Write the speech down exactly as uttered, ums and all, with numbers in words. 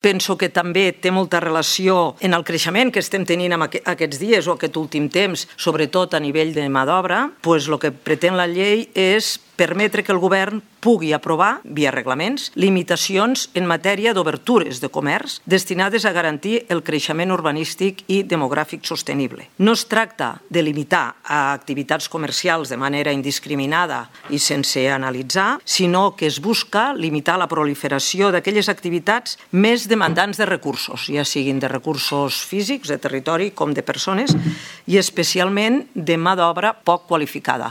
Penso que també té molta relació en el creixement que estem tenint en aquests dies o aquest últim temps, sobretot a nivell de mà d'obra, doncs el que pretén la llei és permetre que el govern pugui aprovar, via reglaments, limitacions en matèria d'obertures de comerç destinades a garantir el creixement urbanístic i demogràfic sostenible. No es tracta de limitar a activitats comercials de manera indiscriminada i sense analitzar, sinó que es busca limitar la proliferació d'aquelles activitats més demandants de recursos, ja siguin de recursos físics, de territori, com de persones, i especialment de mà d'obra poc qualificada.